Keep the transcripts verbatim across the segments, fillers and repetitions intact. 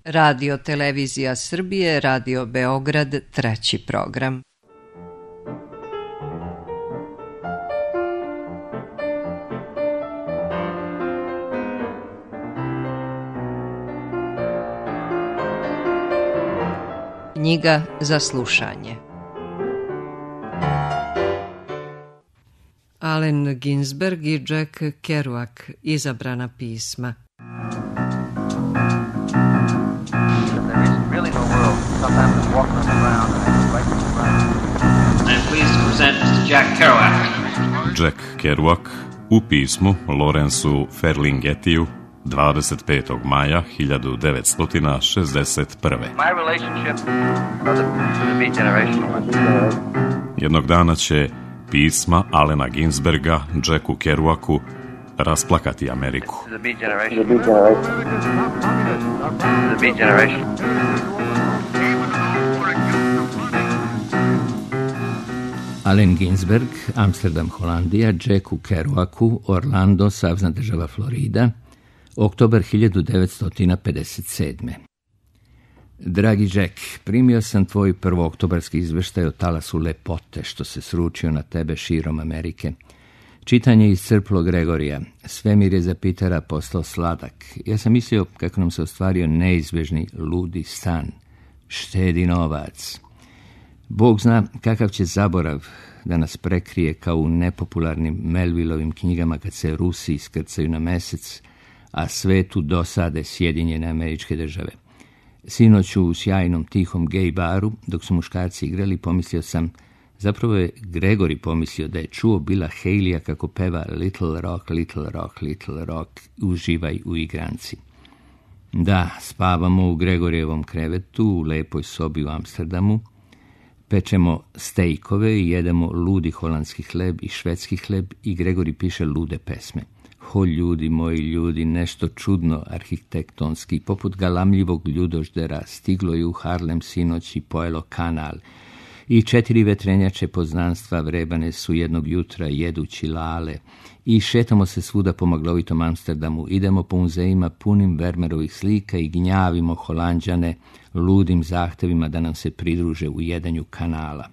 Radio Televizija Srbije, Radio Beograd, treći program. Knjiga za slušanje. Allen Ginsberg i Jack Kerouac, izabrana pisma. Jack Kerouac u pismu Lawrenceu Ferlinghetiju dvadeset petog maja hiljadu devetsto šezdeset prve. Jednog dana će pisma Allena Ginsberga Jacku Kerouacu rasplakati Ameriku. Allen Ginsberg, Amsterdam, Holandija, Jacku Kerouacu, Orlando, savezna država Florida, oktobar hiljadu devetsto pedeset sedme. Dragi Jack, primio sam tvoj prvooktobarski izveštaj o talasu lepote što se sručio na tebe širom Amerike. Čitanje iscrplo Gregorija. Svemir je za Pitera postao sladak. Ja sam mislio kako nam se ostvario neizbježni ludi san. Štedi novac. Bog zna kakav će zaborav da nas prekrije kao u nepopularnim Melvillovim knjigama kad se Rusi iskrcaju na mesec, a svetu dosade Sjedinjene Američke Države. Sinoć u sjajnom tihom gej baru, dok su muškarci igrali, pomislio sam, zapravo je Gregori pomislio da je čuo Billa Haleya kako peva Little Rock, Little Rock, Little Rock, uživaj u igranci. Da, spavamo u Gregorijevom krevetu, u lepoj sobi u Amsterdamu, pečemo stejkove i jedemo ludi holandski hleb i švedski hleb i Gregori piše lude pesme. Ho, ljudi, moji ljudi, nešto čudno arhitektonski, poput galamljivog ljudoždera, stiglo je u Harlem sinoć i pojelo kanal. I četiri vetrenjače poznanstva vrebane su jednog jutra jedući lale. I šetamo se svuda po maglovitom Amsterdamu, idemo po muzejima punim Vermerovih slika i gnjavimo Holanđane ludim zahtevima da nam se pridruže u jedanju kanala.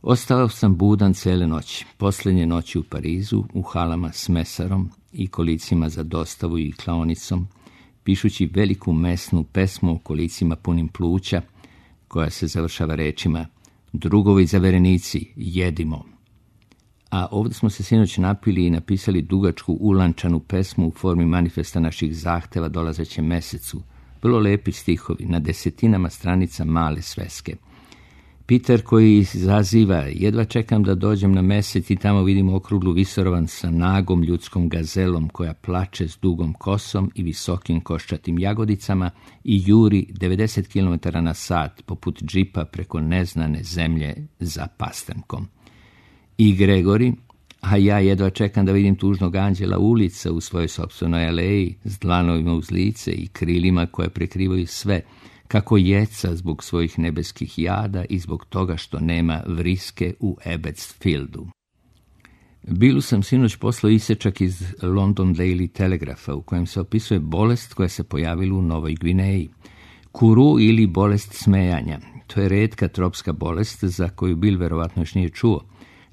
Ostao sam budan cele noći, posljednje noći u Parizu, u halama s mesarom i kolicima za dostavu i klaonicom, pišući veliku mesnu pesmu o kolicima punim pluća, koja se završava rečima drugovi zaverenici, jedimo. A ovdje smo se sinoć napili i napisali dugačku ulančanu pesmu u formi manifesta naših zahteva dolazećem mesecu. Vrlo lepi stihovi, na desetinama stranica male sveske. Peter koji izaziva, jedva čekam da dođem na mesec i tamo vidim okruglu visorovan sa nagom ljudskom gazelom koja plače s dugom kosom i visokim koščatim jagodicama i juri devedeset kilometara na sat poput džipa preko neznane zemlje za pastrnkom. I Gregori, a ja jedva čekam da vidim tužnog anđela ulica u svojoj sopstvenoj aleji s dlanovima uz lice i krilima koje prekrivaju sve, kako jeca zbog svojih nebeskih jada i zbog toga što nema vriske u Abbotsfieldu. Bilu sam sinoć poslao isječak iz London Daily Telegrapha u kojem se opisuje bolest koja se pojavila u Novoj Gvineji. Kuru ili bolest smejanja. To je retka tropska bolest za koju Bill verovatno još nije čuo.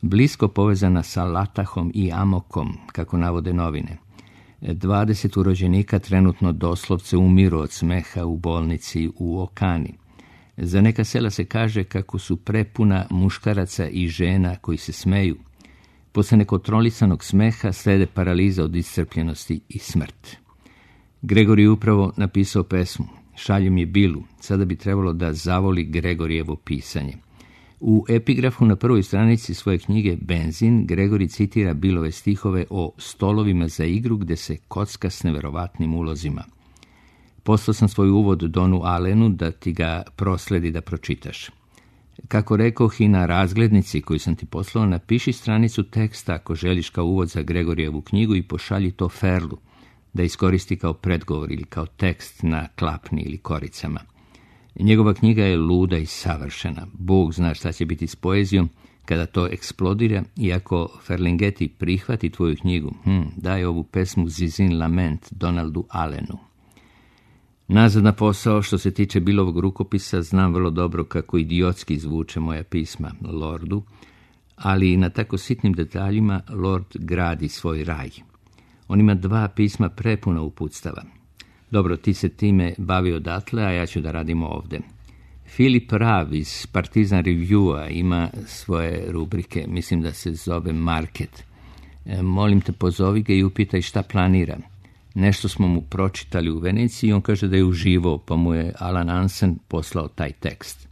Blisko povezana sa latahom i amokom, kako navode novine. dvadeset urođenika trenutno doslovce umiru od smeha u bolnici u Okani. Za neka sela se kaže kako su prepuna muškaraca i žena koji se smeju. Posle nekontrolisanog smeha slede paraliza od iscrpljenosti i smrt. Gregori je upravo napisao pesmu. Šaljem je Bilu, sada bi trebalo da zavoli Gregorijevo pisanje. U epigrafu na prvoj stranici svoje knjige Benzin, Gregori citira Billove stihove o stolovima za igru gde se kocka s neverovatnim ulozima. Poslao sam svoj uvod Donu Allenu da ti ga prosledi da pročitaš. Kako rekoh i na razglednici koju sam ti poslao, napiši stranicu teksta ako želiš kao uvod za Gregorijevu knjigu i pošalji to Ferlu, da iskoristi kao predgovor ili kao tekst na klapni ili koricama. Njegova knjiga je luda i savršena. Bog zna šta će biti s poezijom kada to eksplodira i ako Ferlinghetti prihvati tvoju knjigu, hm, daj ovu pesmu Zizin Lament Donaldu Allenu. Nazad na posao, što se tiče Billovog rukopisa, znam vrlo dobro kako idiotski zvuče moja pisma Lordu, ali na tako sitnim detaljima Lord gradi svoj raj. On ima dva pisma prepuna uputstava. Dobro, ti se time bavi odatle, a ja ću da radim ovde. Filip Rav iz Partizan Reviewa ima svoje rubrike, mislim da se zove Market. E, molim te, pozovi ga i upitaj šta planira. Nešto smo mu pročitali u Veneciji i on kaže da je uživao, pa mu je Alan Hansen poslao taj tekst.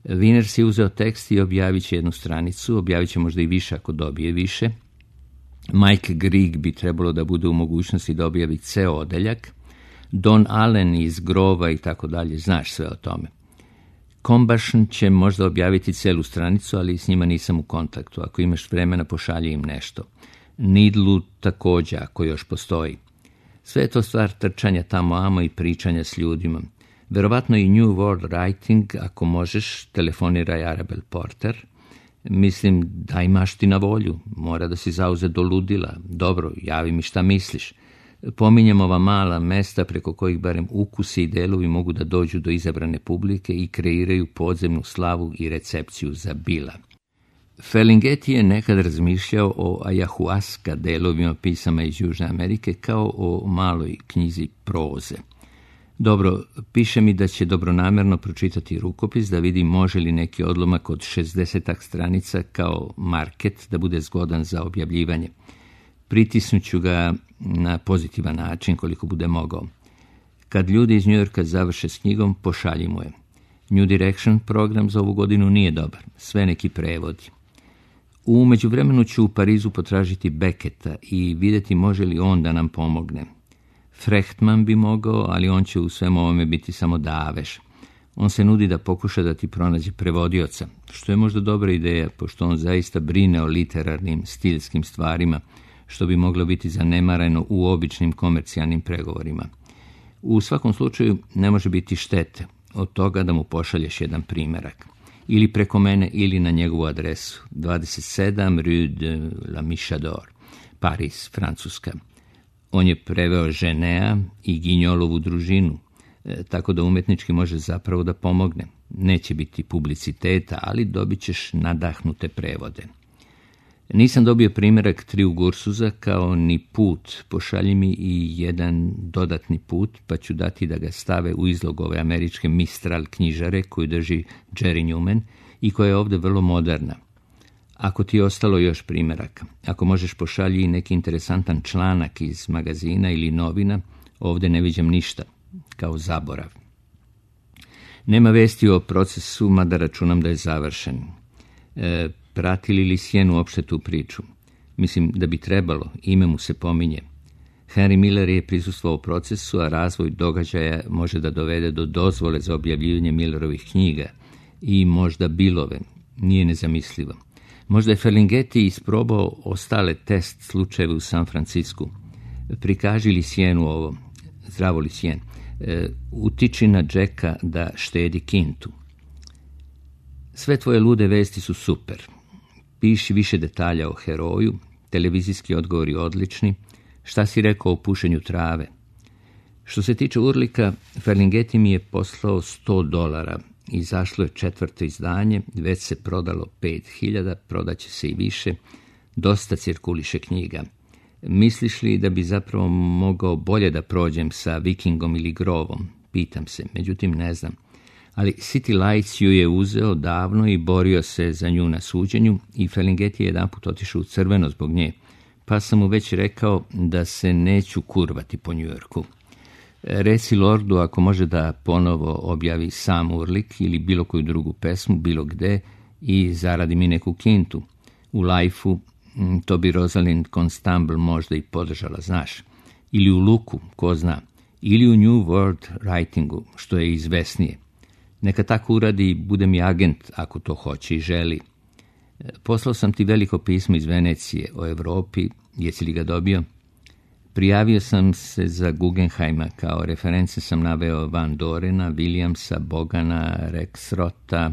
Wiener si uzeo tekst i objavit će jednu stranicu, objavit će možda i više ako dobije više. Mike Grieg bi trebalo da bude u mogućnosti da objavi ceo odeljak. Don Allen iz Grova i tako dalje, znaš sve o tome. Combustion će možda objaviti celu stranicu, ali s njima nisam u kontaktu. Ako imaš vremena, pošalji im nešto. Needlu također, ako još postoji. Sve je to stvar trčanja tamo amo i pričanja s ljudima. Verovatno i New World Writing, ako možeš, telefoniraj Arabel Porter. Mislim da imaš ti na volju, mora da si zauze do ludila. Dobro, javi mi šta misliš. Pominjem ova mala mesta preko kojih barem ukusi i delovi mogu da dođu do izabrane publike i kreiraju podzemnu slavu i recepciju za Billa. Ferlinghetti je nekad razmišljao o ayahuasca delovima pisama iz Južne Amerike kao o maloj knjizi proze. Dobro, piše mi da će dobronamerno pročitati rukopis da vidi može li neki odlomak od šezdesetak stranica kao market da bude zgodan za objavljivanje. Pritisnuću ga na pozitivan način koliko bude mogao. Kad ljudi iz New Yorka završe s knjigom, pošalji mu je. New Direction program za ovu godinu nije dobar, sve neki prevodi. U međuvremenu ću u Parizu potražiti Becketa i vidjeti može li on da nam pomogne. Frechtman bi mogao, ali on će u svemu ovome biti samo daveš. On se nudi da pokuša da ti pronađe prevodioca, što je možda dobra ideja, pošto on zaista brine o literarnim, stilskim stvarima, što bi moglo biti zanemareno u običnim komercijalnim pregovorima. U svakom slučaju ne može biti štete od toga da mu pošalješ jedan primerak. Ili preko mene, ili na njegovu adresu. dvadeset sedam Rue de la Michador, Paris, Francuska. On je preveo Ženea i Ginjolovu družinu, e, tako da umetnički može zapravo da pomogne. Neće biti publiciteta, ali dobit ćeš nadahnute prevode. Nisam dobio primjerak Triju Gursuza kao ni put, pošalji mi i jedan dodatni put, pa ću dati da ga stave u izlog ove američke Mistral knjižare koju drži Jerry Newman i koja je ovdje vrlo moderna. Ako ti je ostalo još primjeraka, ako možeš pošalji i neki interesantan članak iz magazina ili novina, ovdje ne viđam ništa, kao zaborav. Nema vesti o procesu, mada računam da je završen. E, Pratili li Sjen uopšte tu priču? Mislim da bi trebalo, ime mu se pominje. Henry Miller je prisustvovao procesu, a razvoj događaja može da dovede do dozvole za objavljivanje Millerovih knjiga i možda Billove, nije nezamislivo. Možda je Ferlinghetti isprobao ostale test slučajeve u San Francisku. Prikaži li Sjenu ovo? Zdravo li Sjen? E, utiči na Jacka da štedi kintu. Sve tvoje lude vesti su super. Piši više detalja o heroju, televizijski odgovori odlični, šta si rekao o pušenju trave. Što se tiče Urlika, Ferlinghetti mi je poslao sto dolara, izašlo je četvrto izdanje, već se prodalo pet hiljada, prodaće se i više, dosta cirkuliše knjiga. Misliš li da bi zapravo mogao bolje da prođem sa Vikingom ili Grovom? Pitam se, međutim ne znam. Ali City Lights ju je uzeo davno i borio se za nju na suđenju i Ferlinghetti je jedanput otišao u crveno zbog nje, pa sam mu već rekao da se neću kurvati po Njujorku. Reci Lordu ako može da ponovo objavi sam Urlik ili bilo koju drugu pesmu, bilo gde i zaradi mi neku kintu. U Life-u to bi Rosalind Constable možda i podržala, znaš. Ili u Luku, ko zna. Ili u New World Writingu, što je izvesnije. Neka tako uradi i bude mi agent ako to hoće i želi. Poslao sam ti veliko pismo iz Venecije o Evropi, jesi li ga dobio? Prijavio sam se za Guggenheima, kao reference sam naveo Van Dorena, Williamsa, Bogana, Rexrota,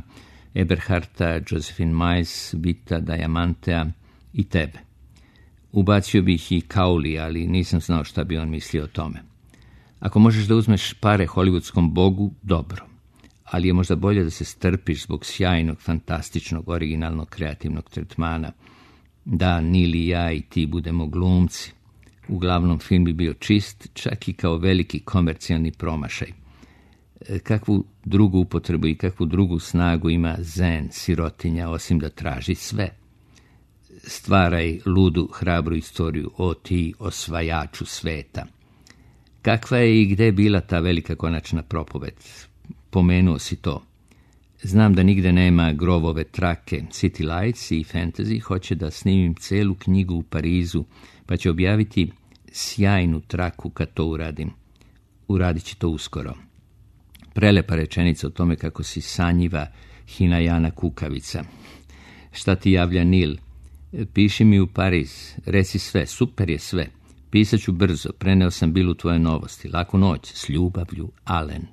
Eberharta, Josephine Miles, Vita Diamantea i tebe. Ubacio bih i Kauli, ali nisam znao šta bi on mislio o tome. Ako možeš da uzmeš pare hollywoodskom bogu, dobro. Ali je možda bolje da se strpiš zbog sjajnog, fantastičnog, originalnog, kreativnog tretmana. Da Neil i ja i ti budemo glumci. Uglavnom film bi bio čist, čak i kao veliki komercijalni promašaj. Kakvu drugu upotrebu i kakvu drugu snagu ima zen, sirotinja, osim da traži sve. Stvaraj ludu, hrabru istoriju o ti osvajaču sveta. Kakva je i gde bila ta velika konačna propoved? Pomenuo si to. Znam da nigde nema Grovove trake. City Lights i Fantasy hoće da snimim celu knjigu u Parizu, pa će objaviti sjajnu traku kad to uradim. Uradit će to uskoro. Prelepa rečenica o tome kako si sanjiva Hinajana kukavica. Šta ti javlja Nil? Piši mi u Pariz, reci sve, super je sve. Pisaću brzo, preneo sam Bilu tvoje novosti. Laku noć, s ljubavlju, Alen.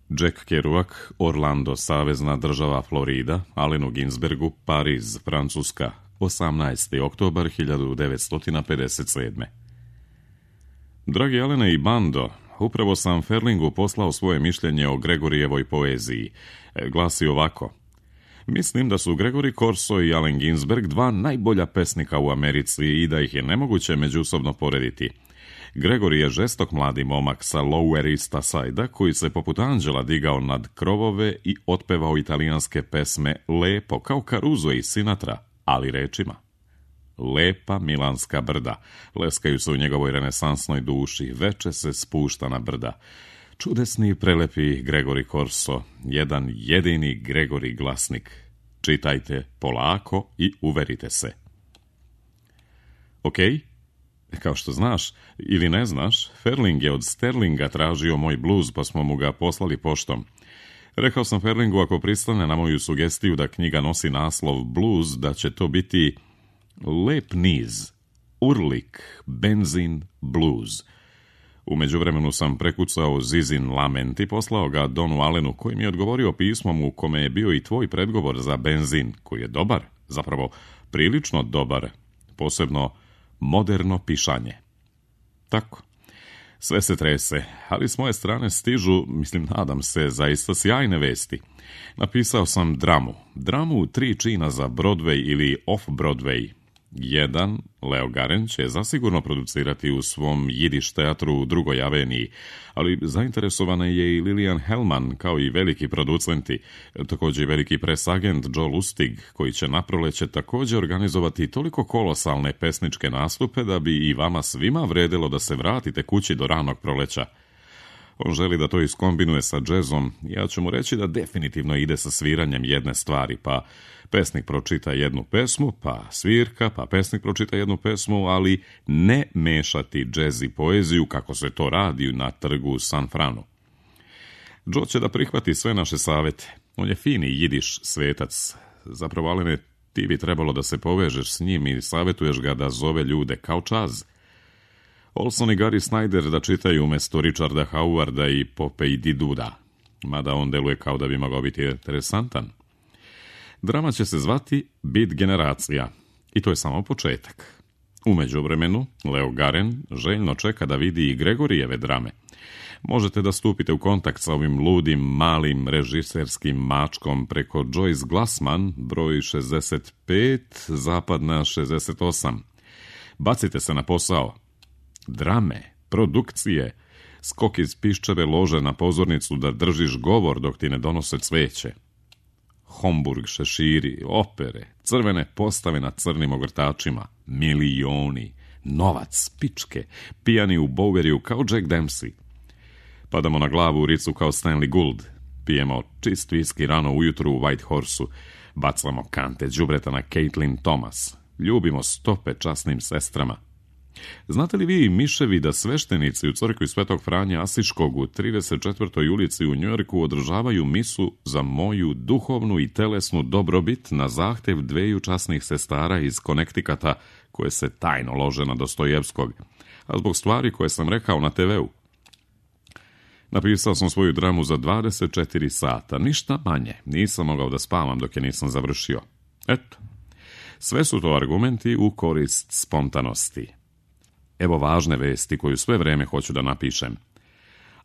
Jack Kerouac, Orlando, savezna država Florida, Alenu Ginsbergu, Pariz, Francuska, osamnaesti oktobar hiljadu devetsto pedeset sedme. Dragi Alene i bando, upravo sam Ferlingu poslao svoje mišljenje o Gregorijevoj poeziji. Glasi ovako. Mislim da su Gregory Corso i Allen Ginsberg dva najbolja pesnika u Americi i da ih je nemoguće međusobno porediti. Gregory je žestok mladi momak sa Lower East Side-a koji se poput anđela digao nad krovove i otpevao italijanske pesme lepo, kao Caruso i Sinatra, ali rečima. Lepa milanska brda, leskaju se u njegovoj renesansnoj duši, veče se spušta na brda. Čudesni i prelepi Gregory Corso, jedan jedini Gregory glasnik. Čitajte polako i uverite se. Ok, kao što znaš ili ne znaš, Ferling je od Sterlinga tražio moj bluz pa smo mu ga poslali poštom. Rekao sam Ferlingu ako pristane na moju sugestiju da knjiga nosi naslov Blues, da će to biti lep niz, urlik, benzin, blues. U međuvremenu sam prekucao Zizin lament i poslao ga Donu Allenu, koji mi je odgovorio pismom u kome je bio i tvoj predgovor za benzin, koji je dobar, zapravo prilično dobar, posebno moderno pišanje. Tako, sve se trese, ali s moje strane stižu, mislim, nadam se, zaista sjajne vesti. Napisao sam dramu, dramu tri čina za Broadway ili off-Broadway. Jedan, Leo Garen, će zasigurno producirati u svom jidiš teatru u drugoj aveniji, ali zainteresovana je i Lilian Hellman, kao i veliki producenti, također i veliki presagent Joe Lustig, koji će na proleće također organizovati toliko kolosalne pesničke nastupe da bi i vama svima vredelo da se vratite kući do ranog proleća. On želi da to iskombinuje sa džezom, ja ću mu reći da definitivno ide sa sviranjem jedne stvari, pa pesnik pročita jednu pesmu, pa svirka, pa pesnik pročita jednu pesmu, ali ne mešati džez i poeziju kako se to radi na trgu u San Franu. Joe će da prihvati sve naše savete. On je fini jidiš svetac. Zapravo, Alene, ti bi trebalo da se povežeš s njim i savjetuješ ga da zove ljude kao čaz. Olson i Gary Snyder da čitaju umjesto Richarda Howarda i Popeye Diduda, mada on deluje kao da bi mogao biti interesantan. Drama će se zvati Bit generacija i to je samo početak. U međuvremenu, Leo Garen željno čeka da vidi i Gregorijeve drame. Možete da stupite u kontakt sa ovim ludim, malim režiserskim mačkom preko Joyce Glassman, broj šezdeset pet, zapadna šezdeset osam. Bacite se na posao. Drame, produkcije, skok iz piščeve lože na pozornicu da držiš govor dok ti ne donose cveće. Homburg, šeširi, opere, crvene postave na crnim ogrtačima, milioni, novac, pičke, pijani u Boweriju kao Jack Dempsey. Padamo na glavu u ricu kao Stanley Gould, pijemo čist viski rano ujutru u White Horse-u, bacamo kante đubreta na Caitlin Thomas, ljubimo stope časnim sestrama. Znate li vi, miševi, da sveštenici u crkvi Svetog Franje Asiškog u trideset četvrtoj ulici u Njujorku održavaju misu za moju duhovnu i telesnu dobrobit na zahtev dveju časnih sestara iz Connecticuta koje se tajno lože na Dostojevskog, a zbog stvari koje sam rekao na te veu. Napisao sam svoju dramu za dvadeset četiri sata, ništa manje, nisam mogao da spavam dok je nisam završio. Eto, sve su to argumenti u korist spontanosti. evo važne vesti koju sve vreme hoću da napišem.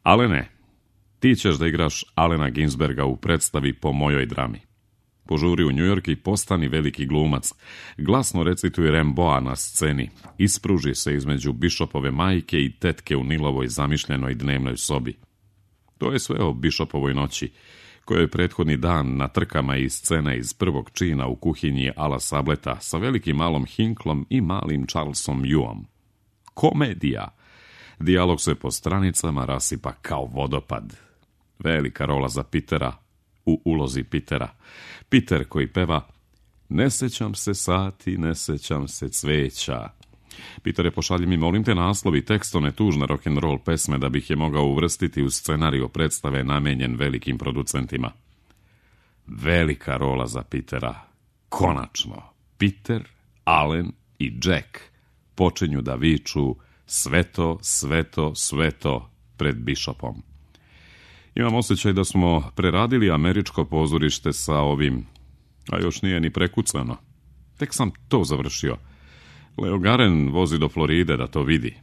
Alene, ti ćeš da igraš Alena Ginsberga u predstavi Po mojoj drami. Požuri u New York i postani veliki glumac. Glasno recituje Rimbaуда na sceni. Ispruži se između Bishopove majke i tetke u Nilovoj zamišljenoj dnevnoj sobi. To je sve o Bishopovoj noći, kojoj je prethodni dan na trkama iz scene iz prvog čina u kuhinji Ala Sableta sa velikim malom Hinklom i malim Charlesom Yuom. Komedija! Dijalog se po stranicama rasipa kao vodopad. Velika rola za Petera u ulozi Petera. Peter koji peva Ne sećam se sati, ne sećam se cveća. Peter je pošalji mi, molim te, naslov i tekst one tužne rock'n'roll pesme da bih je mogao uvrstiti u scenariju predstave namenjen velikim producentima. Velika rola za Petera. Konačno, Peter, Alen i Jack počinju da viču sveto, sveto, sveto pred Bishopom. Imam osjećaj da smo preradili američko pozorište sa ovim, a još nije ni prekucano. Tek sam to završio. Leo Garen vozi do Floride da to vidi.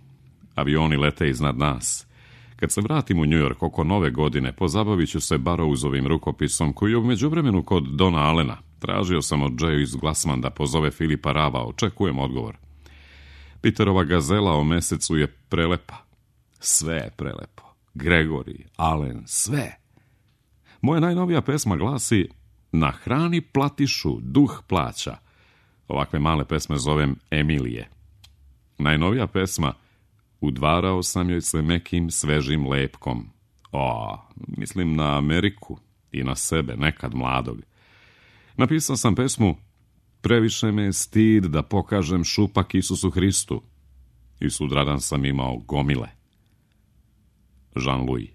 Avioni lete iznad nas. Kad se vratim u New York oko nove godine, pozabavit ću se Barrowsovim rukopisom koji je u međuvremenu kod Dona Allena. Tražio sam od Joyce Glassman da pozove Filipa Rava, očekujem odgovor. Peterova gazela o mesecu je prelepa. Sve je prelepo. Gregory, Allen, sve. Moja najnovija pesma glasi Na hrani platišu, duh plaća. Ovakve male pesme zovem Emilije. Najnovija pesma Udvarao sam joj se mekim svežim lepkom. O, mislim na Ameriku i na sebe, nekad mladog. Napisao sam pesmu Previše me je stid da pokažem šupak Isusu Hristu. I sutradan sam imao gomile. Jean-Louis.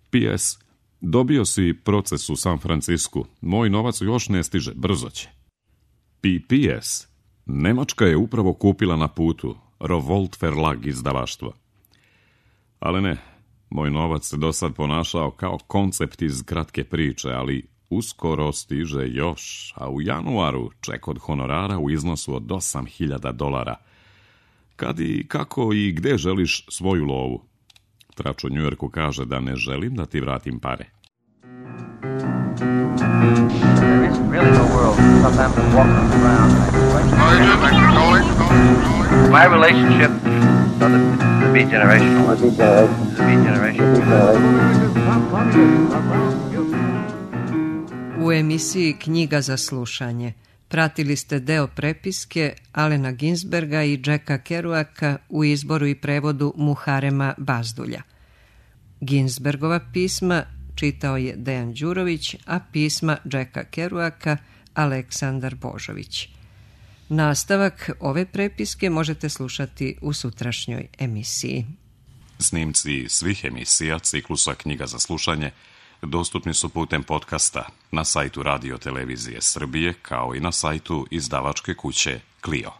P S. Dobio si proces u San Francisku. Moj novac još ne stiže, brzo će. P P S. Nemačka je upravo kupila na putu Revolt Verlag izdavaštvo. Ali ne, moj novac se do sad ponašao kao koncept iz kratke priče, ali uskoro stiže još, a u januaru ček od honorara u iznosu od osam hiljada dolara. Kad i kako i gde želiš svoju lovu? Trač u New Yorku kaže da ne želim da ti vratim pare. There isn't really no world. Sometimes I'm walking around like my relationship, so the, the beat generational. The beat generation. U emisiji Knjiga za slušanje pratili ste deo prepiske Alena Ginsberga i Jacka Kerouaka u izboru i prevodu Muharema Bazdulja. Ginsbergova pisma čitao je Dejan Đurović, a pisma Jacka Kerouaka Aleksandar Božović. Nastavak ove prepiske možete slušati u sutrašnjoj emisiji. Snimci svih emisija ciklusa Knjiga za slušanje dostupni su putem podcasta na sajtu Radio Televizije Srbije kao i na sajtu izdavačke kuće Clio.